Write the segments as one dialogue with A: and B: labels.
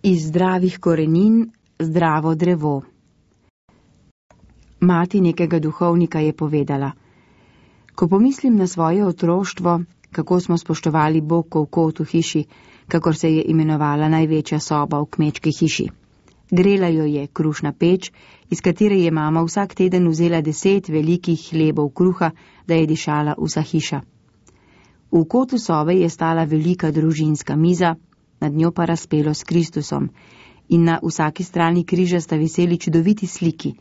A: Iz zdravih korenin zdravo drevo. Mati nekega duhovnika je povedala: ko pomislim na svoje otroštvo, kako smo spoštovali Bogov kot v hiši, kakor se je imenovala največja soba v kmečki hiši. Grela jo je krušna peč, iz katere je mama vsak teden vzela 10 velikih hlebov kruha, da je dišala vsa hiša. V kotu sobe je stala velika družinska miza, nad njo pa razpelo s Kristusom, in na vsaki strani križa sta viseli čudoviti sliki,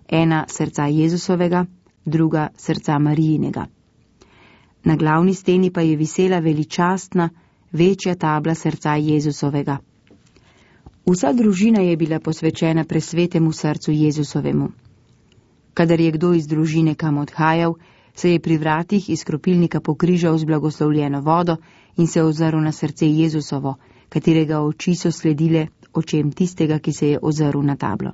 A: ena srca Jezusovega, druga srca Marijinega. Na glavni steni pa je visela veličastna, večja tabla srca Jezusovega. Vsa družina je bila posvečena presvetemu srcu Jezusovemu. Kadar je kdo iz družine kam odhajal, se je pri vratih iz kropilnika pokrižal z blagoslovljeno vodo in se ozrl na srce Jezusovo, katerega oči so sledile očem tistega, ki se je ozrl na tablo.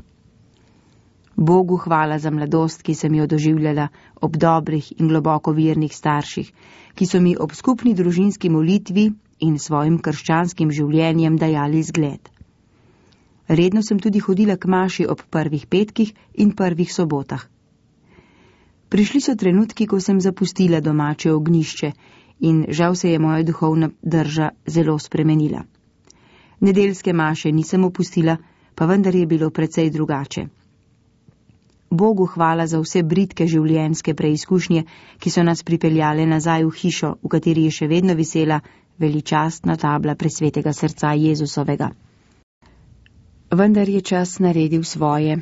A: Bogu hvala za mladost, ki sem jo doživljala ob dobrih in globoko vernih starših, ki so mi ob skupni družinski molitvi in svojim krščanskim življenjem dajali zgled. Redno sem tudi hodila k maši ob prvih petkih in prvih sobotah. Prišli so trenutki, ko sem zapustila domače ognjišče in žal se je moja duhovna drža zelo spremenila. Nedeljske maše nisem opustila, pa vendar je bilo precej drugače. Bogu hvala za vse bridke življenjske preizkušnje, ki so nas pripeljale nazaj v hišo, v kateri je še vedno visela veličastna tabla presvetega srca Jezusovega. Vendar je čas naredil svoje.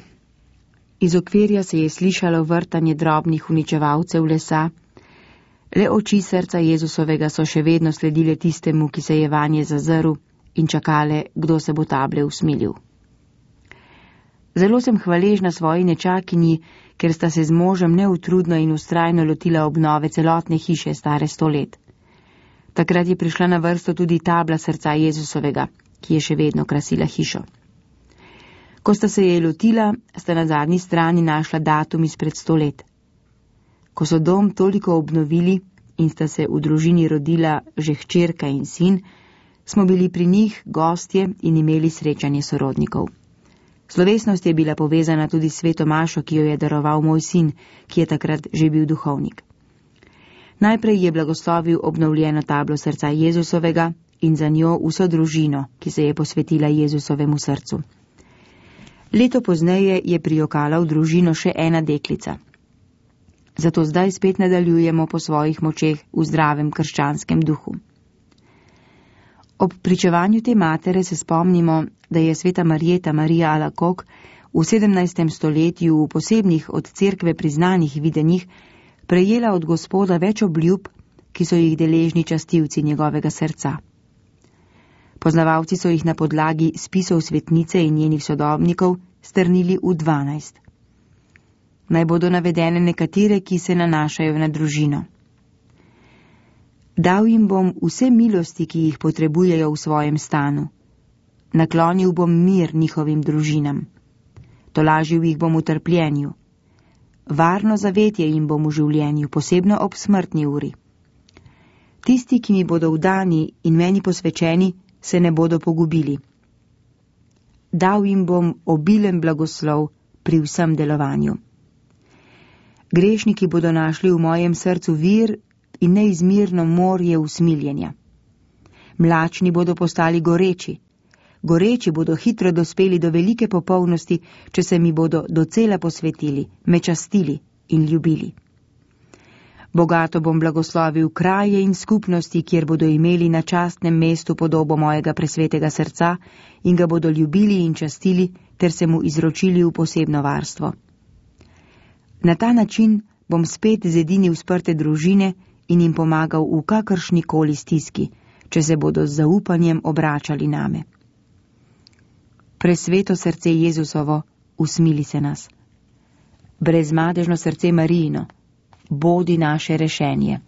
A: Iz okvirja se je slišalo vrtanje drobnih uničevalcev lesa, le oči srca Jezusovega so še vedno sledile tistemu, ki se je vanje zazrl, in čakale, kdo se bo table usmilil. Zelo sem hvaležna svoji nečakinji, ker sta se z možem neutrudno in vztrajno lotila obnove celotne hiše stare 100 let. Takrat je prišla na vrsto tudi tabla srca Jezusovega, ki je še vedno krasila hišo. Ko sta se je lotila, sta na zadnji strani našla datum izpred 100 let. Ko so dom toliko obnovili in sta se v družini rodila že hčerka in sin, smo bili pri njih gostje in imeli srečanje sorodnikov. Slovesnost je bila povezana tudi s sveto mašo, ki jo je daroval moj sin, ki je takrat že bil duhovnik. Najprej je blagoslovil obnovljeno tablo srca Jezusovega in za njo vso družino, ki se je posvetila Jezusovemu srcu. Leto pozneje je prijokala v družino še ena deklica. Zato zdaj spet nadaljujemo po svojih močeh v zdravem krščanskem duhu. Ob pričevanju te matere se spomnimo, da je sveta Marjeta Marija Alakok v 17. stoletju v posebnih od cerkve priznanih videnjih prejela od Gospoda več obljub, ki so jih deležni častilci njegovega srca. Poznavalci so jih na podlagi spisov svetnice in njenih sodobnikov strnili v 12. Naj bodo navedene nekatere, ki se nanašajo na družino. Dal jim bom vse milosti, ki jih potrebujejo v svojem stanu. Naklonil bom mir njihovim družinam. Tolažil jih bom v trpljenju. Varno zavetje jim bom v življenju, posebno ob smrtni uri. Tisti, ki mi bodo vdani in meni posvečeni, se ne bodo pogubili. Dal jim bom obilen blagoslov pri vsem delovanju. Grešniki bodo našli v mojem srcu vir in neizmirno morje usmiljenja. Mlačni bodo postali goreči. Goreči bodo hitro dospeli do velike popolnosti, če se mi bodo docela posvetili, me častili in ljubili. Bogato bom blagoslovil kraje in skupnosti, kjer bodo imeli na častnem mestu podobo mojega presvetega srca in ga bodo ljubili in častili, ter se mu izročili v posebno varstvo. Na ta način bom spet zedinil sprte družine in jim pomagal v kakršni koli stiski, če se bodo z zaupanjem obračali name. Presveto srce Jezusovo, usmili se nas. Brezmadežno srce Marijino, bodi naše rešenje.